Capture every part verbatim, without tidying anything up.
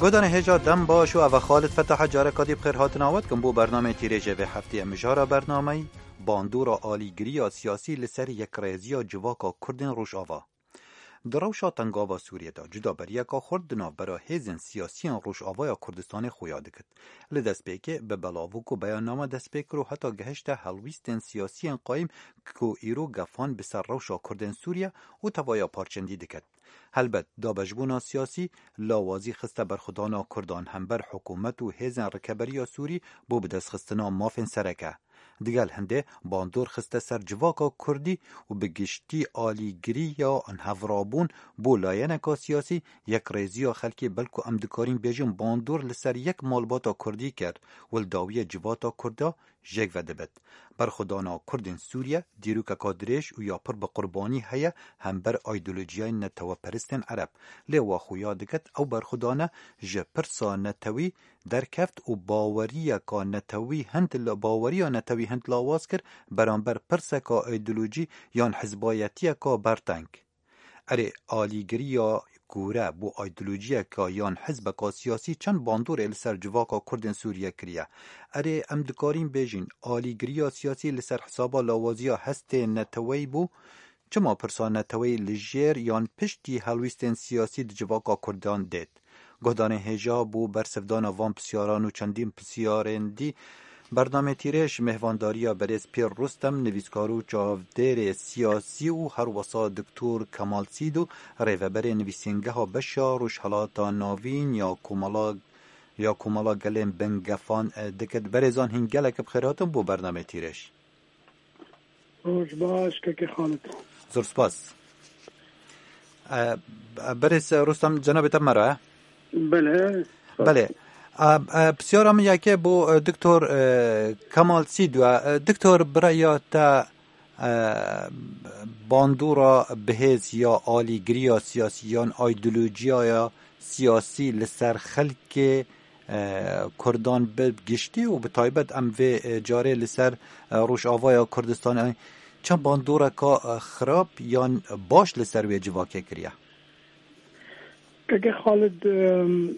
Guhdarên hêja dem baş û eva Xalid Fetah e, careka dî bi xêr hatina we dikim bo bernameyê tîrêjê vê hefteyê. Mijara bernameyî bandora alîgiriya siyasî li ser yekrêziya civaka Kurdên Rojava. Di rewşa tengava Sûriyê de cudaberiyeka xurt di navbera hêzên siyasiyên Rojavaya Kurdistanê xuya dikit. Li destpêkê bi belavok û beyanname dest pê kir û heta gehişte helwîstên siyasiyên qayîm ku îro gefan bi ser rewşa Kurdên Sûriye û tevaya parçendî diket. Helbet, dabeşbûna siyasî lawazî xiste berxwedana Kurdan hember hikûmet û hêzên rikeberiya Sûrî bo bidestxistina mafên sereke. Digel hindê bandor xiste ser civaka Kurdî û bi giştî alîgiriya hevrabûn bo layeneka siyasî, yekrêziya xelkê, belku em dikarîn bêjin bandor li ser yek malbata Kurdî kir û li dawiyê civata Kurda jêk vedibit. Berxwedana Kurdên Sûriye dîrokeka dirêj û ya pir bi qurbanî heye hember aydolojiyayên neteweperistên Ereb. Lê wa xuya diket ew berxwedane ji pirsa netewî derkeft û baweriyeka netewî hind la-, baweriya netewî hind lawaz kir beramber pirseka aydolojî yan hizbayetiyeka berteng. Erê, alîgiriya kûre bo aydolojiyeka yan hizbeka siyasî çend bandorê li ser civaka Kurdên Sûriye kiriye? Erê, em dikarîn bêjin, alîgiriya siyasî li ser hesaba lawaziya hestê neteweyî bû? Çima pirsa neteweyî li jêr yan piştî helwîstên siyasî di civaka Kurdan dêt? Guhdarên hêja bo bersivdana van pisyaran û çendîn pisyarên dî, bernameyê tîrêj mêhvandariya berêz Pîr Rustem, nivîskar û çavdêrê siyasî û herwesa Doktor Kemal Sîdo, rêveberê nivîsîngeha beşa Rojhelata Navîn ya Komala, ya Komala Gelên Bingefan, e, dikit. Berêzan hîn gelek bi xêr hatin bo bernameyê tîrêj. Roj baş, kekê Xalid. Zor spas. E, Berêz Rustem, cenabê te me re? Belê. Belê. E, e, pisyara min yekê bo, e, Doktor, e, Kemal Sîdwa. E, Doktor, bi raya te, e, bandora bihêz ya alîgiriya siyasî yan aydolojiyaya siyasî li ser xelkê e, Kurdan bi giştî û bi taybet em vê, e, carê li ser, e, Rojavaya Kurdistanê çend bandoreka, e, xirab yan baş li ser wê civakê kiriye? Keke Xalid, em,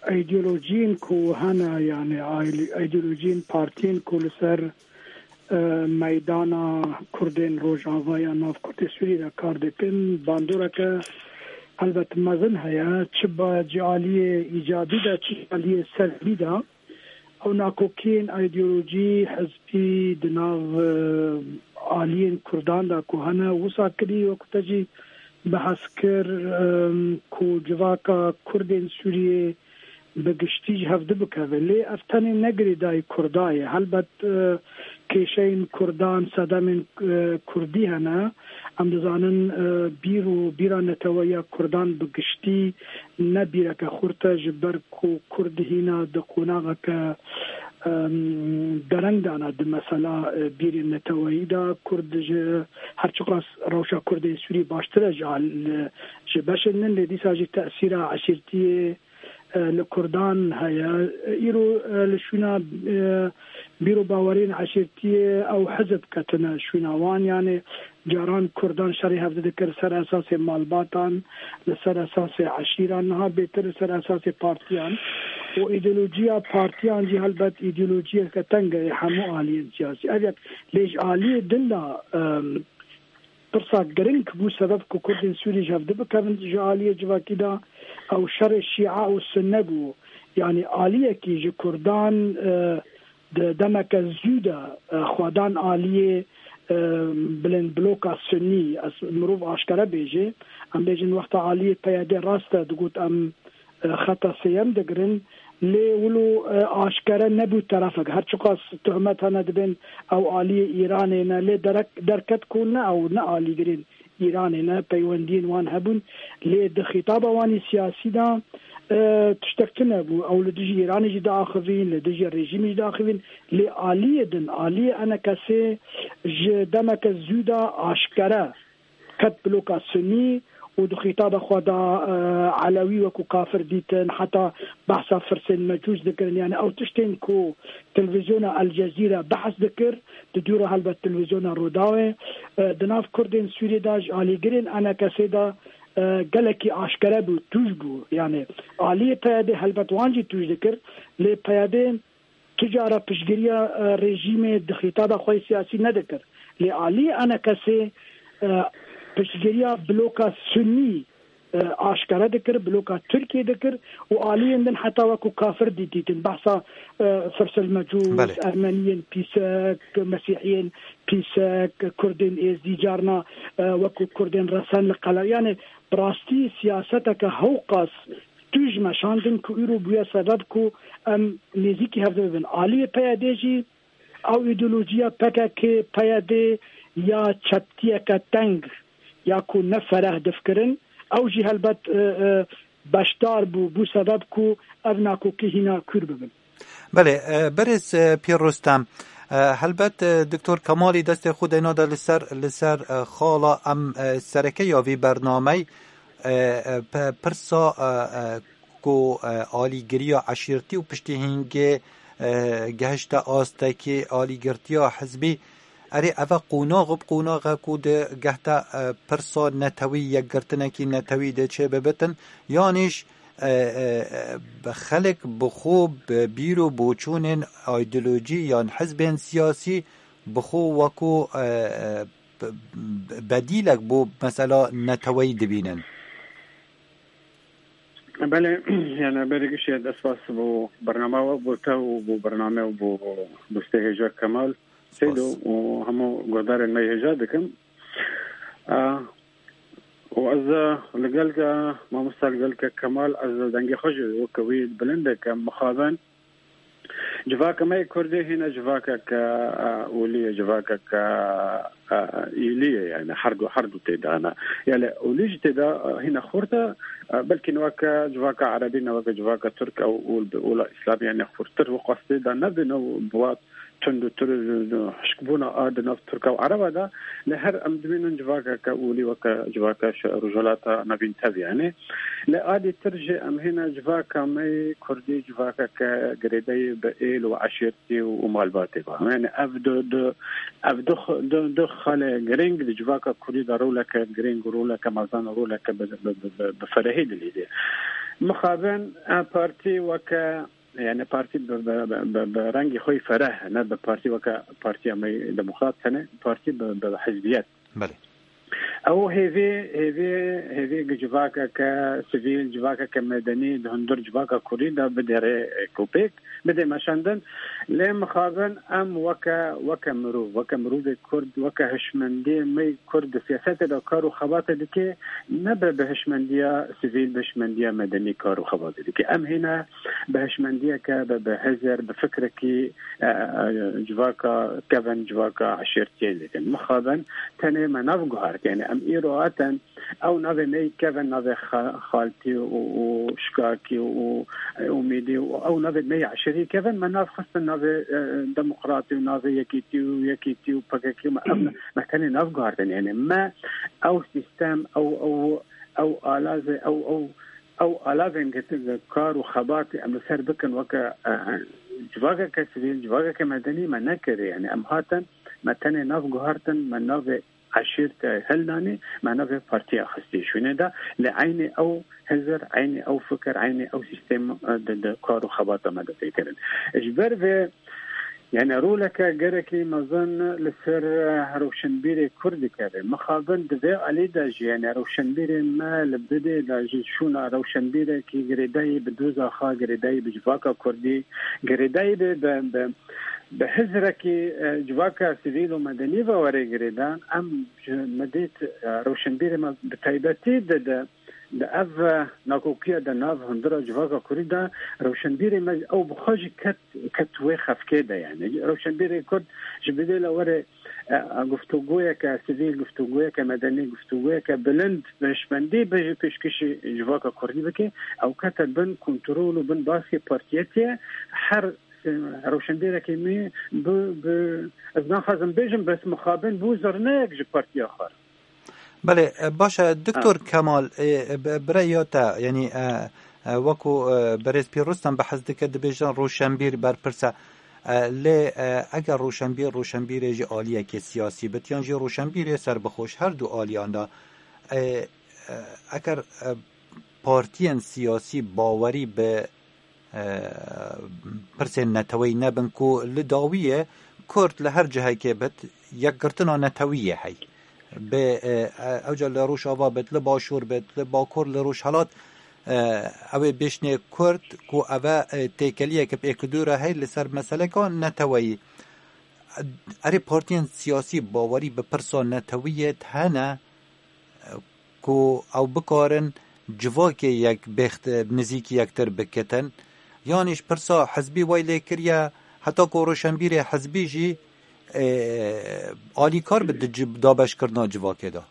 îdeolojiyên ku hene, yani, ay-, îdeolojiyên partiyên ku li ser e, meydana Kurdên Rojava ya nav Kurdê Sûrî de kar dikin, bandoreke helbet mezin heye, çi ba-, ji aliyê îcabî de, çi ji aliyê selbî de. Ew nakokiyên îdeolojî, hizbî di nav, e, aliyên Kurdan de ku hene, wisa kirî, wekî te jî behs kir, e, ku civaka Kurdên Sûriyê bi giştî ji hev dibikeve. Lê ev tenê ne girêdayî Kurda ye. Helbet, e, kêşeyên Kurdan, sedemên, e, Kurdî hene. Em dizanin, e, bîr û bîra neteweya Kurdan bi giştî ne bîreke xurt e, ji ber ku Kurd hîna di qonaxeke, em, dereng de ne di mesela, e, bîrên neteweyî de. Kurd ji her çiqas rewşa Kurdên Sûrî baştir e ji al-, ji beşên din, lê dîsa jî tesîra eşîrtiyê, e, li Kurdan heye. Îro, e, li şûna, e, bîr û baweriyên eşîrtiyê ew hizb ketine şûna wan. Yani caran Kurdan şerê hev didikir ser esasê malbatan, li ser esasê eşîran, niha bêtir li ser esasê partiyan. Û îdeolojiya partiyan jî helbet îdeolojiyeke teng e hemû aliyên siyasî. Ev yek, lê ji aliyê din de, em, pirsa giring bû sebeb ku Kurdên Sûrî ji hev dibikevin ji aliyê civakî de, ew şerê Şîa û Sunne bû. Yanî aliyekî ji Kurdan, e, di demeke zû de, e, xwedan aliyê, e, bilind bloka Sunnî, ez mirov aşkere bêje, em bêjin wexta aliyê P Y D rast e, digot em e, xeta sêyem digirin, lê wilo, e, aşkere nebû terefek. Her çiqas tohmet hene dibên ew aliyê Îranê ne, lê derek, derket ku ne ew ne alîgirên Îranê ne, peywendiyên wan hebûn, lê di xîtaba wan î siyasî de, e, tiştek tune bû. Ew li dijî Îranê jî diaxivîn, li dijî rejîmê jî diaxivîn, lê aliyê din, aliyê enekesê ji demeke zû de aşkere ket bloka Sunî û di xîtaba xwe de, e, Elewî wekû kafir dîtin, heta behsa firsên Mecûs dikirin. Yani ew tiştên ku televîzyona El Cezîre behs dikir, di dûra helbet televîzyona Rûdawê, e, di nav Kurdên Sûriyê de ji alîgirên enekesê de, e, gelekî aşkere bû, tûj bû. Yani aliyê P Y D helbet wan jî tûj dikir, lê P Y D tu cara piştgiriya, e, rejîmê di xîtaba xwe siyasî nedikir. Lê aliyê A N K S'ê, e, piştgiriya bloka Sunnî, e, aşkere dikir, bloka Tirkiyê dikir û aliyên din heta wekû kafir dîtîtin. Behsa, e, Firsil Mecûs, Belê. Ermeniyên pîsek, Mesîhiyên pîsek, Kurdên Êzdî carna, e, wekû Kurdên Resen li Qele. Yani bi rastî siyaseteke hewqas tûj meşandin ku îro bûye sebeb ku em nêzîkî hev de bibin. Aliyê P Y D jî ew îdeolojiya P K K, P Y D ya çeptiyeke teng ya ku ne fereh difikirin, ew jî helbet, e, e, beşdar bû, bû sebeb ku ev nakokî hîna kûr bibin. Belê, e, berêz, e, Pîr Rustem, e, helbet, e, Doktor Kemalî destê xwe deyna de li ser, li ser, e, xala em, e, sereke ya vî bernamey, e, e, pe-, pirsa, e, e, ku, e, alîgiriya eşîrtî û piştî hingê, e, gehişte astekî alîgirtiya hizbî. Erê, eve qonax bi qonaxe ku di gehte, e, pirsa netewî, yekgirtinekî netewî de çê bibitin, yanîş, e, e, e, xelk bi xwe bi bîr û boçûnên îdeolojî yan hizbên siyasî bi xwe wekû, e, e, be-, bedîlek bo mesela neteweyî dibînin. Belê, yani berê gişê dest spas bo bername we, bo te û bo bername û bo dostê hêja Kemal Seydo û hemû guhdarên me hêja dikim. A, û ez, e, li gel ke, mamosta li gel ke Kemal, ez dengê xwe jî weke wî bilind dikim, mixabin. Civaka me yê Kurdî hîne civakeke, e, olî ye, civakeke, e, êlî ye, yani her du, her du tê de hene. Yani olî jî tê de, e, hîne xurt e, e, belkî ne weke civaka erebî, ne weke civaka tirk, ew ol bi ola îslamî, yani xurtir û qas tê de nebin, ew bi wa tund û tir, hişkbûna a di nav tirka û ereba de, lê her em dibînin civakeke olî weke civaka şi-, Rojhilata Navîn tev yani. Lê alî tir jî em hîne civaka me yê Kurdî civakeke girêdayî bi êl û eşîrtî û, û malbatê ve. Yani ev du, du, ev du x-, du, du xalê girîng di civaka Kurdî de roleke girîng û roleke mezin û roleke bi, bi, bi, bi, bi ferehî dilîzê. Mixabin, e, partî weke, yani partî bi, bi, bi, bi, bi rengî xwe yî fereh, ne bi partî weke partiya me yê demokrat tenê, partî bi, bi hizbiyet. Belê. Ew hêvî, hêvî, hêvî gi civakeke sivîl, civakeke medenî di hundir civaka Kurdî de bidêrê, e, ku pêk bidê meşandin. Lê mixabin em weke, weke mirov, weke mirovê Kurd, weke hişmendiyê me yê Kurd di siyasetê de kar û xebatê dike, nebe bi hişmendiya sivîl, bi hişmendiya medenî kar û xebatê dike. Em hîne bi hişmendiyeke, bi, bi hizir, bi fikrekî, e, e, civaka kevin, civaka eşîrtiyê dikin. Mixabin tenê me nav guhart. Yani em îro hatin, ew navê me yê kevin navê xa-, xaltî û, û şikakî û, û umîdî û ew navê me yê eşîrî kevin, me nav xistin navê, e, demokratî û navê yekîtî û yekîtî û P K K û me, ev ne, me tenê nav guhartin. Yani me ew sîstem, ew, ew, ew alazê, ew, ew, ew alavên girtin kar û xebatê em li ser bikin weke, e, e, civakeke sivîl, civakeke medenî me nekirî. Yani em hatin, me tenê nav guhartin, me navê eşîrte hildanî, me navê partiya xistî şûnê de, lê eynî ew hizir, eynî ew fikir, eynî ew sîstem, e, di, di kar û xebata me de tê kirin. Ji ber vê, yani roleke gerekî mezin li ser, e, rewşenbîrê Kurd dikeve. Mixabin di vê alî de jî, yani rewşenbîrê me li bidê de ji şûna rewşenbîrekî girêdayî bi dozaxa, girêdayî bi civaka Kurdî, girêdayî bi, bi, bi, bi hizrekî, e, civaka sivîl û medenî ve were girêdan, em ji me dît, e, rewşenbîrê me bi taybetî di, di, di ev, e, nakokiya de nav hundira civaka Kurdî de rewşenbîrê me ew bi xwe jî ket, ket wê xefkê de yani. Rewşenbîrê Kurd ji bidê le were, e, e, guftûgoyeke sivîl, guftûgoyeke medenî, guftûgoyeke bilind bi hişmendî bi pêşkêşî civaka Kurdî bike, ew kete bin kontrol û bin baskê partiyetê her, e, rewşenbîrekî me bi, bi, ez naxwazim bêjim, bes mixabin bû zirneyek ji partiya xwe re. Belê, e, baş e, Doktor Ha. Kemal, e, e, bi, bi rêya te, yanî, e, e, wekû, e, berêz Pîr Rustem behs dike, dibêjin rewşenbîr berpirs e. E, lê, e, eger rewşenbîr, rewşenbîrê ji aliyekê siyasî bit, yan jî rewşenbîrê serbixweş, her du aliyan de, e, e, eger, e, partiyên siyasî bawerî bi, e, pirsên neteweyî nebin ku li dawiyê Kurd li her cihekê bit, yekgirtina netewî yê hey. Bi, e, e, ewca li Rojava bit, li Başûr bit, li Bakur, li Rojhelat, e, ew ê bêşnê Kurd ku ev e, e, têkeliyeke pêkidû re hey li ser meseleka neteweyî. Erê partiyên siyasî bawerî bi pirsa netewiyê hene, e, ku ew bikarin civakê yek bêxt, e, nizîkî yektir bikitin. Yanî ji pirsa hizbî wey lê kiriye, heta ku roşenbîrê hizbî jî, e, alîkar bi di ci-, dabeşkirina civakê de.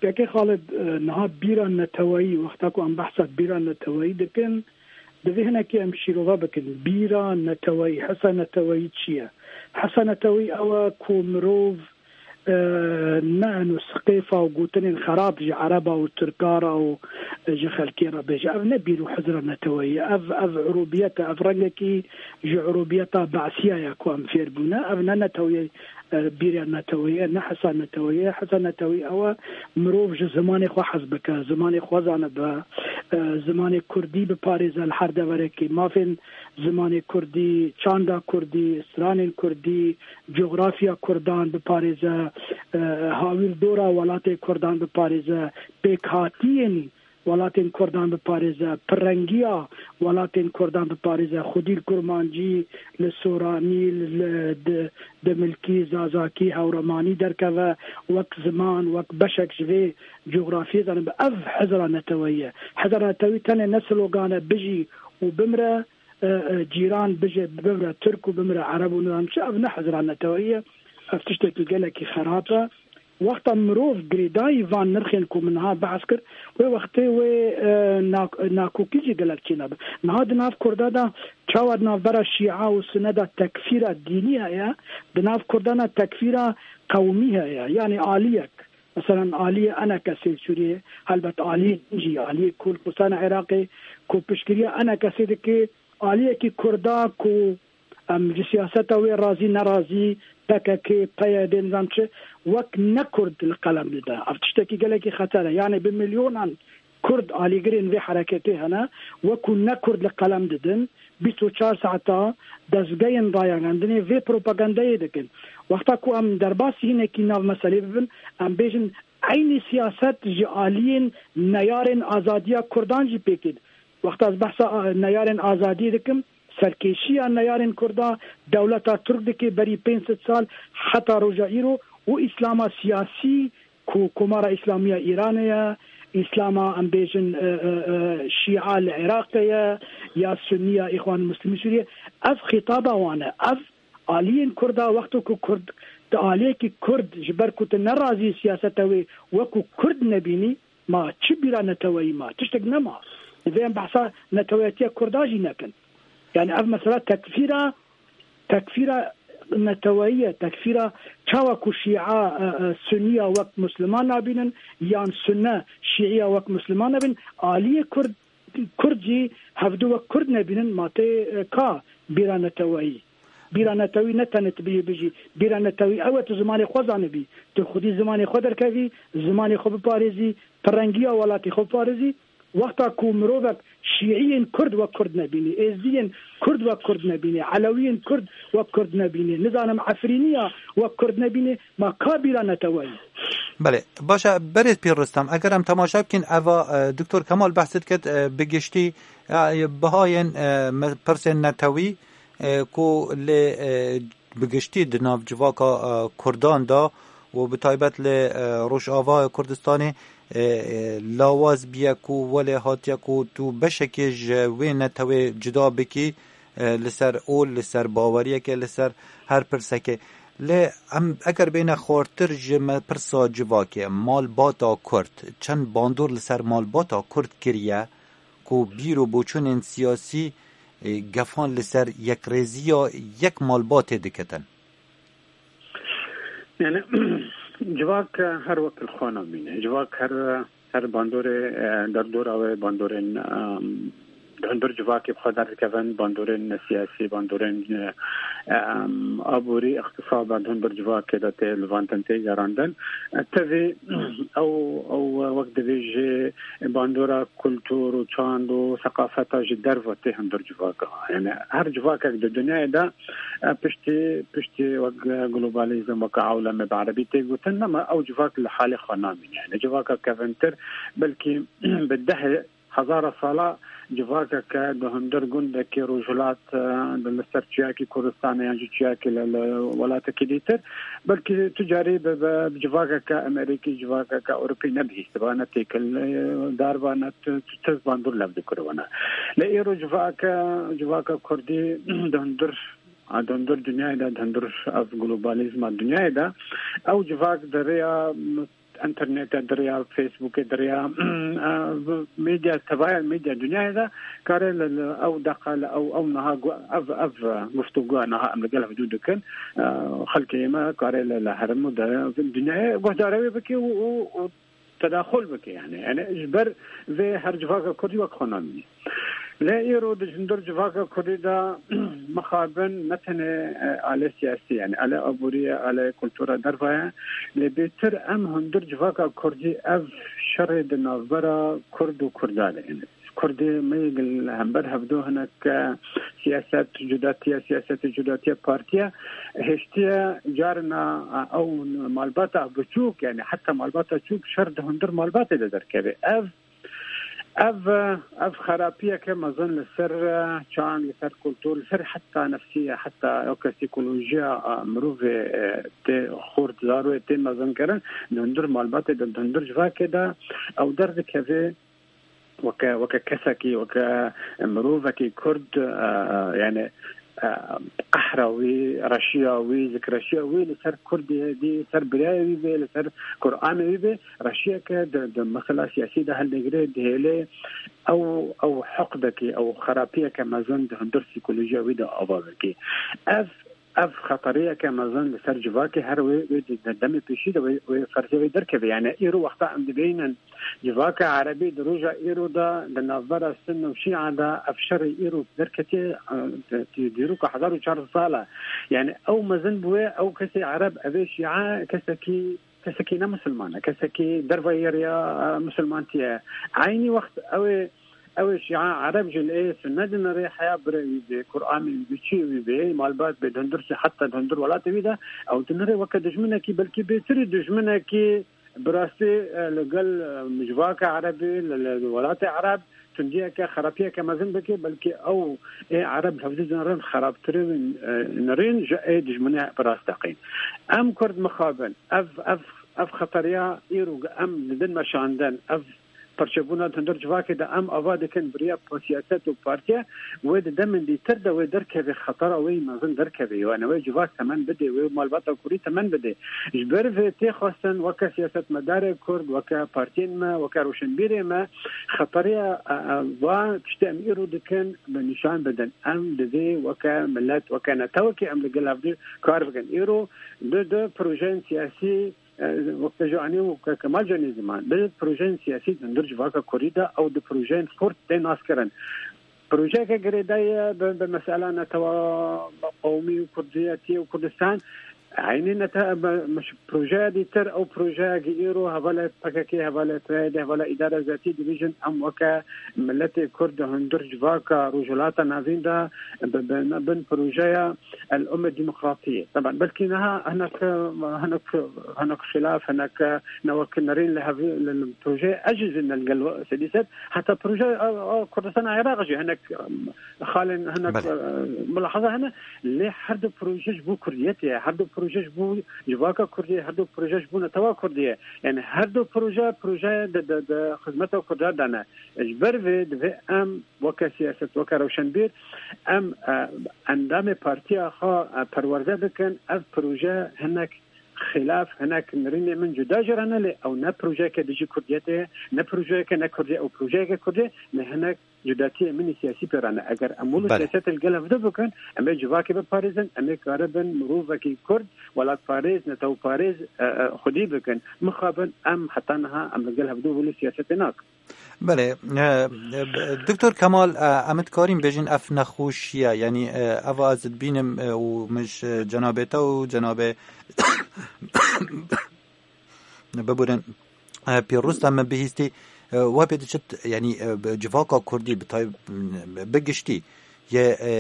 Kekê Xalid, e, niha bîra neteweyî, wexta ku em behsa bîra neteweyî dikin, divê hinekî em şîrove bikin. Bîra neteweyî, hisa neteweyî çi ye? Hisa neteweyî ew e ku mirov, e, ne eno siqêfa û gotinên xerab ji Ereba û Tirka re û, e, ji xelkê re bêje. Ev ne bîr û hizra neteweyî ye. Ev, ev urûbiyet e, ev rengekî ji urûbiyeta Be'siya ye ku em fêr bûne. Ev ne neteweyî e, bîra neteweyî ye, ne hisa neteweyî ye. Hisa neteweyî ew e, mirov ji zimanê xwe hez bike, zimanê xwe zanibe, e, zimanê kurdî biparêze li her deverekê. Mafên zimanê kurdî, çanda kurdî, stranên kurdî, cografya kurdan biparêze, e, hawîrdora welatê kurdan biparêze, pêkhatiyên welatên Kurdan biparêze, pirrengiya welatên Kurdan biparêze, xwedî li Kurmancî, li Soranî, li di-, Dimilkî, Zazakî, Hewremanî derkeve, wek ziman, wek beşek ji vê cografiyê zanibe. Ev hizra neteweyî ye. Hizra netewî tenê ne slogan e, bijî û bimre, e, e, cîran bije, bimre Tirk û bimre Ereb û nizam çi, ev ne hizra neteweyî ye. Ev tiştekî gelekî xerab e. Wexta mirov girêdayî van nirxên ku min niha behs kir, wê wextê wê, e, nak-, nakokî jî gelek çênabe. Niha di nav Kurda de çawa di navbera Şîa û Sune de tekfîra dînî heye, di nav Kurdan de tekfîra qewmî heye, yanî aliyek. Meselan, aliyê ENKSê Sûriyê, helbet aliyê din jî, aliyê ku li Kurdistana Iraqê ku piştgiriya ENKSê dike, aliyekî Kurda ku em ji siyaseta wê razî nerazî, P K K, P Y D, nizam çi, wek ne Kurd li qelem dide. Ev tiştekî gelekî xeter e. Yanî bi milyonan Kurd alîgirên vê hereketê hene, wek ku ne Kurd li qelem didin, bîst û çar saeta dezgehên rayegendinê vê propagandayê dikin. Wexta ku em derbasî hinekî nav meselê bibin, em bêjin eynî siyaset ji aliyên neyarên azadiya Kurdan jî pêk tê. Wexta ez behsa, a, neyarên azadiyê dikim, serkêşiya neyarên Kurda dewleta Tirk dike berî pênc sed sal heta roja îro û Îslama siyasî ku Komara Îslamî ya Îranê ye, Îslama em bêjin, e, e, e, Şîa li Iraqê ye, ya Sunniya Îxwan Muslimî Sûriyê, ev xîtaba wan e. Ev aliyên Kurda wexto ku Kurd, tu aliyekî Kurd ji ber ku tu nerazî siyaseta wê wekû Kurd nebînî, ma çi bîra neteweyî ma? Tiştek nema. Divê em behsa neteweyetiya Kurda jî nekin. Yani ev mesela tekfîra, tekfîra neteweyî ye. Tekfîra çawa ku Şîa, e, e, Sunniya wek Musliman nabînin, yan Sunne Şîiya wek Musliman nabînin, aliyê Kurd, Kurd jî hevdu wek Kurd nebînin, ma tê, e, ka bîra neteweyî. Bîra netewî ne tenê tu biyê bijî. Bîra netewî ew e tu zimanê xwe zanibî. Tu xwedî zimanê xwe derkevî, zimanê xwe biparêzî, pirrengiya welatê xwe biparêzî. Wexta ku mirovek şîiyên Kurd wek Kurd nebînî, êzdiyên Kurd wek Kurd nebînî, elewiyên Kurd wek Kurd nebînî, nizanim efrîniya wek Kurd nebînî, ma ka bîra neteweyî? Belê, baş e, berêz Pîr Rustem, eger em temaşe bikin, eva, e, Doktor Kemal behs diket, e, bi giştî, e, bihayên, e, me-, pirsên netewî, e, ku lê, e, bi giştî di nav civaka, e, Kurdan de û bi taybet li, e, Rojava Kurdistanê, e, e, lawaz biye ku welê hatiye ku tu beşekê ji wê netewê cuda bikî, e, li ser ol, li ser baweriyekê, li ser her pirsekê. Lê em eger bêne xwartir ji me pirsa civakê, malbata Kurd, çend bandor li ser malbata Kurd kiriye ku bîr û boçûnên siyasî, e, gefan li ser yekrêziya yek malbatê diketin? Yani, civak her wek li xwe nabîne. Civak her, her bandorê, e, derdora wê bandorên, e, di hundir civakê bi xwe derdikevin, bandorên siyasî, bandorên, e, em, aborî, îqtisada di hundir civakê de tê livandin, tê gerandin. E, tevî ew, ew wek dibêjê bandora kultur û çand û seqafeta ji derve tê hundir civaka. Yani her civakek di dinyayê de, e, piştî, piştî wek globalizm, wek ewlemê bi erebî tê gotin, nema ew civak li halê xwe namîne. Yani civaka kevintir, belkî bi deh hezara sala civakeke di hundir gundekî Rojhilat, e, di li ser çiyakî Kurdistanê yan jî çiyakî li, li welatekî dîtir, belkî tu carî bi, bi, bi civakeke Amerîkî, civakeke Ewropî nebihîstiba, ne têkildar ba, ne tu, tu tez bandor lev dikiribana. Lê îro civake, civaka Kurdî di hundir, di hundir dinyayê de, di hundir ev globalîzma dinyayê de, ew civak di rêya internetê, di rêya Facebookê, di rêya, e, medya, tevaya medya dinyayê de kare li, li ew deqa, li ew, ew niha gu-, ev, ev, e, guftûgoya niha em li gel hevdû dikin, e, xelkê me kare li, li herêm û di dinyayê guhdara wê bike û, û, û tedaxul bike, yani. Yani ji ber vê her civaka Kurdî wek xwe namîne. Lê îro di hundir civaka Kurdî de mixabin ne tenê, e, alê siyasî, yani alê aborî ye, alê kultura derva ye. Lê bêtir em hundir civaka Kurdî ev şerê di navbera Kurd û Kurda de, yani Kurdê me yê li hember hevdo hinek, e, siyaset cudatiye, siyasetê cudatiye partiye hêştiye carina, e, ew malbata biçûk, yani heta malbata çûk şer di hundir malbatê de derkeve. Ev Ev, ev xerapiyeke mezin li ser, e, çand, li ser kultur, li ser heta nefsiye, heta weke psîkolojiya, e, mirovê, e, tê xurt, zarokê tê mezinkirin, di hundir malbatê de, di hundir civakê de ew derdikeve weke, weke kesekî, weke mirovekî Kurd, e, yani, e, qehra wî, reşiya wî, zikreşiya wî li ser Kurdê dî, li ser birayê wî bê, li ser Kur'anê wî bê, reşiyeke di, di mesela siyasî de hildegire, dihêlê ew, ew heqdekî, ew xerapiyeke mezin di hundir psîkolojiya wî de ava bikî. Ev, ev xeteriyeke mezin li ser civakê her wê, wê di, di demê pêşî de wê, wê ferzê wê derkeve. Yani îro wexta em dibînin civaka erebî di roja îro de di navbera Sunn û Şîa de ev şerê îro derketiye, e, di, di, dîroka hezar û çar sed sal e. Yani ew mezin bûye, ew kesê ereb, evê Şîa kesekî, kesekî ne misilman e, kesekî derveyî rêya, e, misilmantiyê ye. Eynî wext ew ê, ew ê Şîa ereb jî li ê Sunne dinirê, heya birê wî bê, Kur'anê wî bê, çiyê wî bê, malbat bê, di hundir, heta di hundir welatê wî de, ew dinirê weke dijminekî, belkî bêtirî dijminekî bi rastî, e, li gel, e, civaka erebî, li, li welatê ereb tundiyeke, xerapiyeke mezin bike, belkî ew ê ereb li hevdî dinirên xerabtirî, e, nirîn ji ê dijminê bi rast deqîn. Em Kurd mixabin. Ev, ev, ev xeteriya îro em didin meşandin. Ev perçebûna di hundir civakê de em ava dikin bi riya siyaset û partiye, wê di demên dîtir de wê derkeve, xetera wê mezin derkeve. Yani wê civak temen bide, wê malbata Kurdî temen bide. Ji ber vê tê xwestin weke siyasetmedarê Kurd, weke partiyên me, weke rewşenbîrê me, xeteriya, e, e, va tiştê em îro dikin bi nîşan bidin. Em divê weke milet, weke netewekê em li gel hevdî kar bikin. Îro di, di projeyên siyasî, e, wek te jî anî û ke-, Kemal jî anî ziman, bi projeyên siyasî di hundir civaka Kurdî de ew di projeyên xurt tê naskirin. Projeyeke girêdayî ye bi, bi mesela netewa qewmî û kurdiyetî û Kurdistan. Eynî nete-, bi, bi projeya dîtir, ew projeyekî îro hevalê P K K, hevalê P Y D, hevalê îdara zatî dibêjin, em weke miletê Kurd di hundir civaka Rojhilata Navîn de bi, bi, bin projeya El Umme Demokratiyê. Taban belkî niha hinek, hinek, hinek xilaf, hinek ne wek nerîn li hevî, li, li projeyê ez jî zî ne li gel sedî sed. Heta proje, a, a, Kurdistana Iraq jî hinek, em, xalên hinek, Belê. e, mulahaza hene. Lê her du proje ji bo Kurdiyetê ye, her du proje ji bo civaka Kurdî ye, her du proje ji bo netewa Kurdî ye. Yani her du proje, proje de, de, de xizmeta Kurda de ne. Ji ber vê divê em weke siyaset, weke rewşenbîr, em, e, endamê partiya xwe, e, perwerde bikin, ev proje hinek xilaf, hinek nirînê min cuda jî re ne, lê ew ne projeyeke dijî Kurdiyetê ye, ne projeyeke ne Kurdî, ew projeyeke Kurdî, lê hinek Cudatiyê min ê siyasî pê re ne. Eger em wilo Belê. Siyasetê li gel hevdu bikin, em ê civakê biparêzin, em ê karibin mirovekî Kurd, welatparêz, netewparêz, e, e, xwedî bikin. Mixabin em heta niha em li gel hevdu wilo siyasetê nakin. Belê, e, e, Doktor Kemal, e, em dikarîn bêjin ev nexweşiye, yanî, e, ev ez dibînim, e, û min ji cenabê te û cenabê biburin, e, pîroz te min bihîstî, e, we pê diçit, yanî, e, bi civaka Kurdî bi tay-, bi giştî yê, e,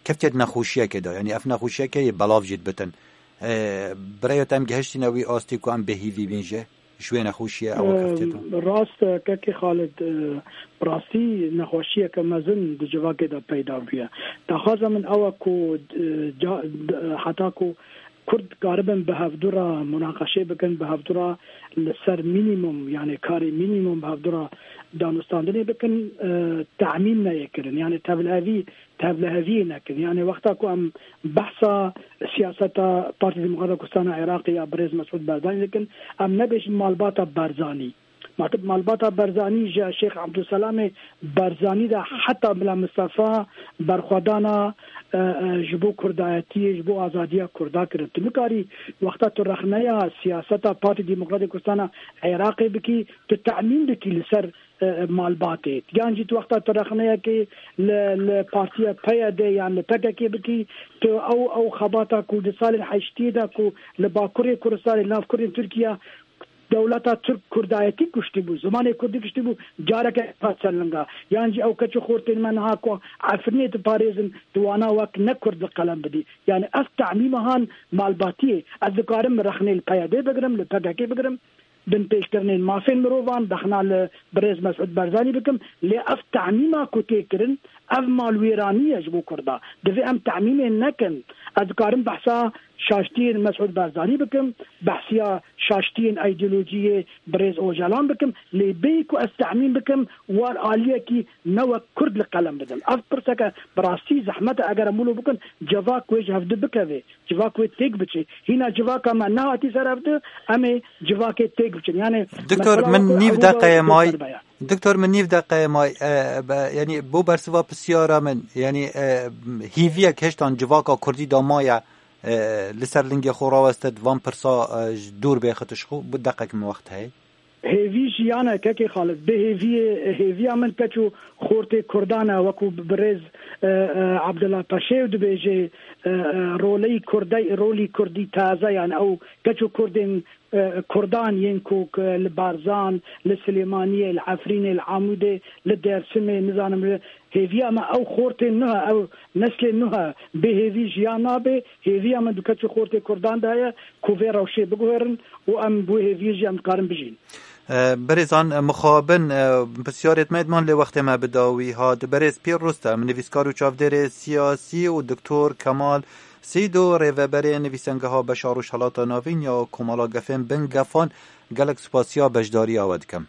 keftiye di nexweşiyekê de, yanî ev nexweşiyekê yê belav jî dibitin. E, bi rêya te em gihiştîne wî astî ku em bêhîvî bîn jê? Ji wê nexweşiyê ew keftiye tu? Em, rast e, kekê Xalid, e, bi rastî nexweşiyeke mezin di civakê de peyda bûye. Daxwaza min ew e ku, e, ca-, d-, heta ku Kurd karibin bi hevdu re munaqeşê bikin, bi hevdu re li ser mînîmum, yani karê mînîmum bi hevdu re danûstandinê bikin, e, temîm neyê kirin. Yani tevlihevî tevliheviyê nekin. Yani wexta ku em behsa siyaseta Partî Demokrata Kurdistana Iraqê ya birêz Mesûd Barzanî dikin, em nebêjin malbata Barzanî. Matib malbata Barzanî ji Şêx Ebdulselamê Barzanî de heta Mila Mistefa berxwedana, e, e, ji bo kurdayetiyê, ji bo azadiya Kurda kirin. Tu nikarî wexta tu rexneya siyaseta Partî Demokratê Kurdistana Iraqê bikî, tu temîn dikî li ser e, malbatê. Yan jî tu wexta tu rexneyekê li, li partiya P Y D yan li P K K bikî, tu ew, ew xebata ku di salên heştiyê de ku li Bakurê Kurdistanê, li nav Kurdên Tirkiye dewleta Tirk kurdayetî kuştî bû, zimanê kurdî kuştî bû, careke hat ser linga. Yan jî ew keç û xortên me niha ku Efrînê diparêzin, tu wana wek ne kurd li qelem bidî. Yani ev temîma han malbatiyê. Ez dikarim rexnê li P Y D bigirim, li P K K bigirim. Binpêkirinên mafên mirovan, rexna li birêz Mesûd Barzanî bikim, lê ev temîma ku tê kirin, ev malwêranî ye ji bo Kurda. Divê em temîmê nekin. Ez dikarim behsa şaştiyên Mesûd Barzanî bikim, behsiya şaştiyên îdeolojiyê birêz Ocalan bikim, lê bêyî ku ez temîm bikim, war aliyekî ne wek Kurd li qelem bidim. Ev pirseke bi rastî zehmet e, eger em wilo bikin, civak wê ji hevdu bikeve. Civak wê têk biçe. Hîna civaka me nehatî ser hevdu, em ê civakê têk biçin. Yani Doktor, mesela min wekî nîv Ewropa deqeyê may. Serbeya. Doktor, min nîv deqeyê may, e, be, yani bo bersiva pisyara min, yani, e, hîviyek hiştan civaka Kurdî da maye, e, li ser lingê xwe rawestit, van pirsa, e, ji dûr bêxit ji xwe, bi deqek min wext heye. Hêvî jiyan e, kekê Xalid. Bê hêviyê, hêviya min keç û xortê Kurdan e, wekû birêz, e, e, Abdullah Paşêw dibêje, e, e, roleyî Kurdey, rolî Kurdî taze, yani ew keç û Kurdên, e, Kurdan yên ku, ku li Barzan, li Silêmaniyê, li Efrînê, li Amûdê, li Dêrsimê, nizanim li hêviya me ew xortên nuh e, ew neslên nuh e. Bê hêvî jiyan nabe, hêviya min di keç û xortê Kurdan de heye ku vê rewşê biguherin û em bi wê hêviyê jî em dikarin bijîn. E, berêzan, e, mixabin, e, pisyarêt me diman lê wextê me bi dawî hat. Berêz Pîr Rustem, nivîskar û çavdêrê siyasî û Doktor Kemal Seydo, rêveberê Nivîsengeha Beşa Rojhelata Navîn ya Komala Gefên Bin Gefan, gelek spasiya beşdariya we dikim.